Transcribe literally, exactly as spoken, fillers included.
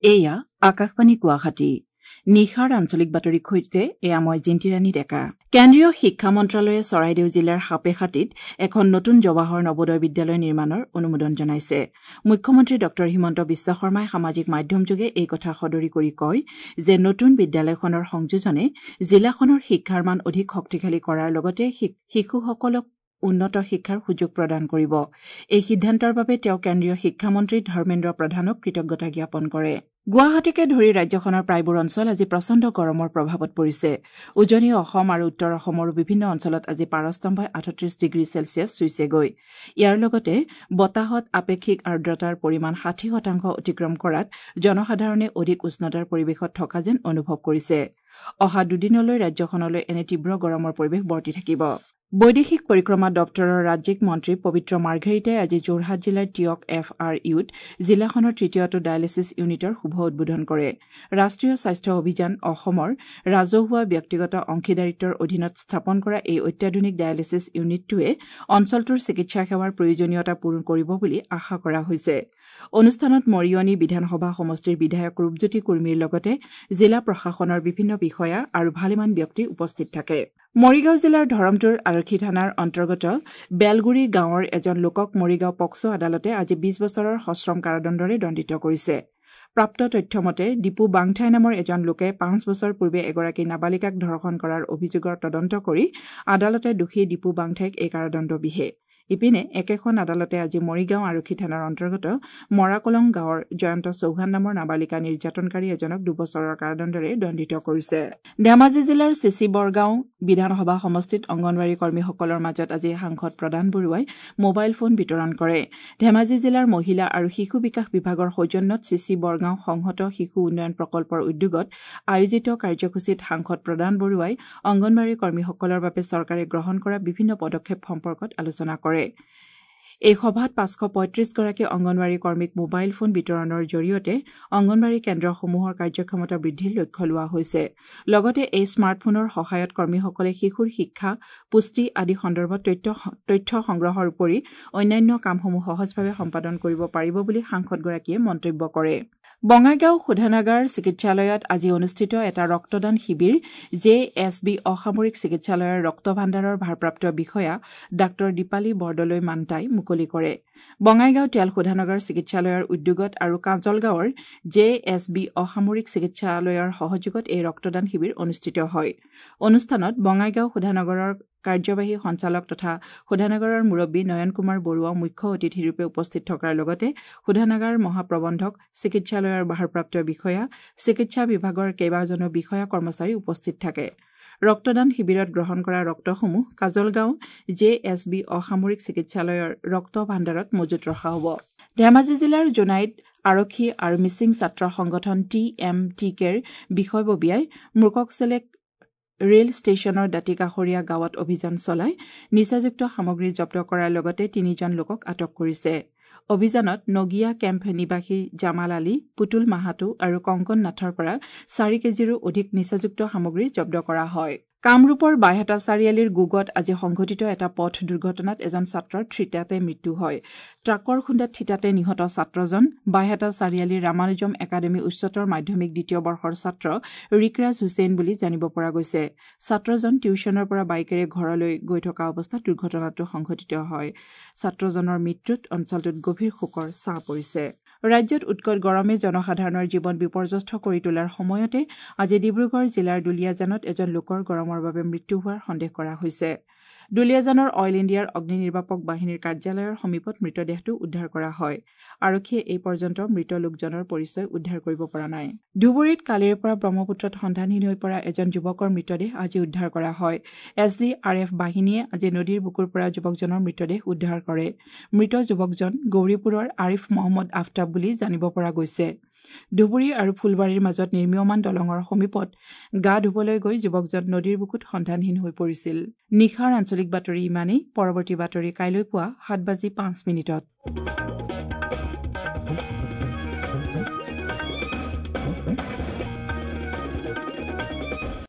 এয়া আকাশবাণী গুৱাহাটী। নিশাৰ আঞ্চলিক বাতৰিৰ সৈতে এয়া মই জিন্তিৰাণী ডেকা। কেন্দ্ৰীয় শিক্ষা মন্ত্ৰালয়ে চৰাইদেউ জিলাৰ সাপেখাতীত এখন নতুন জৱাহৰ নৱোদয় বিদ্যালয় নিৰ্মাণৰ অনুমোদন জনাইছে। মুখ্যমন্ত্ৰী ডঃ হিমন্ত বিশ্ব শৰ্মাই সামাজিক মাধ্যমযোগে এই কথা সদৰি কৰি কয় যে নতুন বিদ্যালয়খনৰ সংযোজনে জিলাখনৰ শিক্ষাৰ মান অধিক শক্তিশালী কৰাৰ লগতে শিশুসকলক উন্নত শিক্ষাৰ সুযোগ প্ৰদান কৰিব। এই সিদ্ধান্তৰ বাবে তেওঁ কেন্দ্ৰীয় শিক্ষামন্ত্ৰী ধৰ্মেন্দ্ৰ প্ৰধানক কৃতজ্ঞতা জ্ঞাপন কৰে। গুৱাহাটীকে ধৰি ৰাজ্যখনৰ প্ৰায়বোৰ অঞ্চল আজি প্ৰচণ্ড গৰমৰ প্ৰভাৱত পৰিছে। উজনি অসম আৰু উত্তৰ অসমৰো বিভিন্ন অঞ্চলত আজি পাৰস্তম্ভই আঠত্ৰিশ ডিগ্ৰী চেলছিয়াছ চুইছেগৈ। ইয়াৰ লগতে বতাহত আপেক্ষিক আৰ্দ্ৰতাৰ পৰিমাণ ষাঠি শতাংশ অতিক্ৰম কৰাত জনসাধাৰণে অধিক উষ্ণতাৰ পৰিৱেশত থকা যেন অনুভৱ কৰিছে। অহা দুদিনলৈ ৰাজ্যখনলৈ এনে তীব্ৰ গৰমৰ পৰিৱেশ বৰ্তি থাকিব। বৈদেশিক পৰিক্ৰমা দপ্তৰৰ ৰাজ্যিক মন্ত্ৰী পবিত্ৰ মাৰ্ঘেৰিটাই আজি যোৰহাট জিলাৰ টীয়ক এফ আৰ ইউত জিলাখনৰ তৃতীয়টো ডায়েলিছিছ ইউনিটৰ শুভ উদ্বোধন কৰে। ৰাষ্ট্ৰীয় স্বাস্থ্য অভিযান অসমৰ ৰাজহুৱা ব্যক্তিগত অংশীদাৰিত্বৰ অধীনত স্থাপন কৰা এই অত্যাধুনিক ডায়েলিছিছ ইউনিটটোৱে অঞ্চলটোৰ চিকিৎসা সেৱাৰ প্ৰয়োজনীয়তা পূৰণ কৰিব বুলি আশা কৰা হৈছে। অনুষ্ঠানত মৰিয়নি বিধানসভা সমষ্টিৰ বিধায়ক ৰূপজ্যোতি কুৰ্মীৰ লগতে জিলা প্ৰশাসনৰ বিভিন্ন বিষয়া আৰু ভালেমান ব্যক্তি উপস্থিত থাকে। মৰিগাঁও জিলাৰ ধৰমতুৰ আৰক্ষী থানাৰ অন্তৰ্গত বেলগুৰি গাঁৱৰ এজন লোকক মৰিগাঁও পক্সো আদালতে আজি বিশ বছৰৰ সশ্ৰম কাৰাদণ্ডৰে দণ্ডিত কৰিছে। প্ৰাপ্ত তথ্য মতে দীপু বাংঠাই নামৰ এজন লোকে পাঁচ বছৰ পূৰ্বে এগৰাকী নাবালিকাক ধৰ্ষণ কৰাৰ অভিযোগৰ তদন্ত কৰি আদালতে দোষী দীপু বাংঠাইক এই কাৰাদণ্ড বিহে। ইপিনে একেখন আদালতে আজি মৰিগাঁও আৰক্ষী থানাৰ অন্তৰ্গত মৰাকলং গাঁৱৰ জয়ন্ত চৌহান নামৰ নাবালিকা নিৰ্যাতনকাৰী এজনক দুবছৰৰ কাৰাদণ্ডৰে দণ্ডিত কৰিছে। ধেমাজি জিলাৰ চিচি বৰগাঁও বিধানসভা সমষ্টিত অংগনৱাড়ী কৰ্মীসকলৰ মাজত আজি সাংসদ প্ৰদান বৰুৱাই মোবাইল ফোন বিতৰণ কৰে। ধেমাজি জিলাৰ মহিলা আৰু শিশু বিকাশ বিভাগৰ সৌজন্যত চিচি বৰগাঁও সংহত শিশু উন্নয়ন প্ৰকল্পৰ উদ্যোগত আয়োজিত কাৰ্যসূচীত সাংসদ প্ৰদান বৰুৱাই অংগনৱাড়ী কৰ্মীসকলৰ বাবে চৰকাৰে গ্ৰহণ কৰা বিভিন্ন পদক্ষেপ সম্পৰ্কত আলোচনা কৰে। এই সভাত পাঁচশ পঁয়ত্ৰিশগৰাকী অংগনৱাড়ী কৰ্মীক মোবাইল ফোন বিতৰণৰ জৰিয়তে অংগনৱাড়ী কেন্দ্ৰসমূহৰ কাৰ্যক্ষমতা বৃদ্ধিৰ লক্ষ্য লোৱা হৈছে। লগতে এই স্মাৰ্টফোনৰ সহায়ত কৰ্মীসকলে শিশুৰ শিক্ষা, পুষ্টি আদি সন্দৰ্ভত তথ্য সংগ্ৰহৰ উপৰি অন্যান্য কামসমূহ সহজভাৱে সম্পাদন কৰিব পাৰিব বুলি সাংসদগৰাকীয়ে মন্তব্য কৰে। বঙাইগাঁও শোধনাগাৰ চিকিৎসালয়ত আজি অনুষ্ঠিত এটা ৰক্তদান শিবিৰ জে এছ বি অসামৰিক চিকিৎসালয়ৰ ৰক্ত ভাণ্ডাৰৰ ভাৰপ্ৰাপ্ত বিষয়া ডাঃ দীপালী বৰদলৈ মান্তাই মুকলি কৰে। বঙাইগাঁও তেল শোধনাগাৰ চিকিৎসালয়ৰ উদ্যোগত আৰু কাজলগাঁৱৰ জে এছ বি অসামৰিক চিকিৎসালয়ৰ সহযোগত এই ৰক্তদান শিবিৰ অনুষ্ঠিত হয়। অনুষ্ঠানত বঙাইগাঁও শোধনাগাৰৰ কাৰ্যবাহী সঞ্চালক তথা শোধনাগাৰৰ মুৰব্বী নয়ন কুমাৰ বৰুৱা মুখ্য অতিথিৰূপে উপস্থিত থকাৰ লগতে শোধনাগাৰ মহাপ্ৰবন্ধক, চিকিৎসালয়ৰ ভাৰপ্ৰাপ্ত বিষয়া, চিকিৎসা বিভাগৰ কেইবাজনো বিষয়া কৰ্মচাৰী উপস্থিত থাকে। ৰক্তদান শিবিৰত গ্ৰহণ কৰা ৰক্তসমূহ কাজলগাঁও জে এছ বি অসামৰিক চিকিৎসালয়ৰ ৰক্ত ভাণ্ডাৰত মজুত ৰখা হ'ব। ধেমাজি জিলাৰ জোনাইত আৰক্ষী আৰু মিচিং ছাত্ৰ সংগঠন টি এম টি কেৰ বিষয়ববীয়াই মূৰ্ককচেলেক ৰেল ষ্টেচনৰ দাঁতিকাষৰীয়া গাঁৱত অভিযান চলাই নিচাযুক্ত সামগ্ৰী জব্দ কৰাৰ লগতে তিনিজন লোকক আটক কৰিছে। অভিযানত নগিয়া কেম্প নিবাসী জামাল আলী, পুতুল মাহাতো আৰু কংকন নাথৰ পৰা চাৰি কেজিৰো অধিক নিচাযুক্ত সামগ্ৰী জব্দ কৰা হয়। কামৰূপৰ বাইহাটা চাৰিআলিৰ গোগত আজি সংঘটিত এটা পথ দুৰ্ঘটনাত এজন ছাত্ৰৰ থিতাতে মৃত্যু হয়। ট্ৰাকৰ খুন্দাত থিতাতে নিহত ছাত্ৰজন বাইহাটা চাৰিআলিৰ ৰামানুজম একাডেমী উচ্চতৰ মাধ্যমিক দ্বিতীয় বৰ্ষৰ ছাত্ৰ ৰিকৰাজ হুছেইন বুলি জানিব পৰা গৈছে। ছাত্ৰজন টিউশ্যনৰ পৰা বাইকেৰে ঘৰলৈ গৈ থকা অৱস্থাত দুৰ্ঘটনাটো সংঘটিত হয়। ছাত্ৰজনৰ মৃত্যুত অঞ্চলটোত গভীৰ শোকৰ ছাঁ পৰিছে। ৰাজ্যত উৎকট গৰমে জনসাধাৰণৰ জীৱন বিপৰ্যস্ত কৰি তোলাৰ সময়তে আজি ডিব্ৰুগড় জিলাৰ দুলীয়াজানত এজন লোকৰ গৰমৰ বাবে মৃত্যু হোৱাৰ সন্দেহ কৰা হৈছে। দুলীয়াজানৰ অইল ইণ্ডিয়াৰ অগ্নি নিৰ্বাপক বাহিনীৰ কাৰ্যালয়ৰ সমীপত মৃতদেহটো উদ্ধাৰ কৰা হয়। আৰক্ষীয়ে এই পৰ্যন্ত মৃত লোকজনৰ পৰিচয় উদ্ধাৰ কৰিব পৰা নাই। ধুবুৰীত কালিৰে পৰা ব্ৰহ্মপুত্ৰত সন্ধানহীন হৈ পৰা এজন যুৱকৰ মৃতদেহ আজি উদ্ধাৰ কৰা হয়। এছ ডি আৰ এফ বাহিনীয়ে আজি নদীৰ বুকুৰ পৰা যুৱকজনৰ মৃতদেহ উদ্ধাৰ কৰে। মৃত যুৱকজন গৌৰীপুৰৰ আৰিফ মহম্মদ আফতাব বুলি জানিব পৰা গৈছে। ধুবুৰী আৰু ফুলবাৰীৰ মাজত নিৰ্মীয়মান দলঙৰ সমীপত গা ধুবলৈ গৈ যুৱকজন নদীৰ বুকুত সন্ধানহীন হৈ পৰিছিল। নিশাৰ আঞ্চলিক বাতৰি ইমানেই। পৰৱৰ্তী বাতৰি কাইলৈ পুৱা সাত বাজি পাঁচ মিনিটত।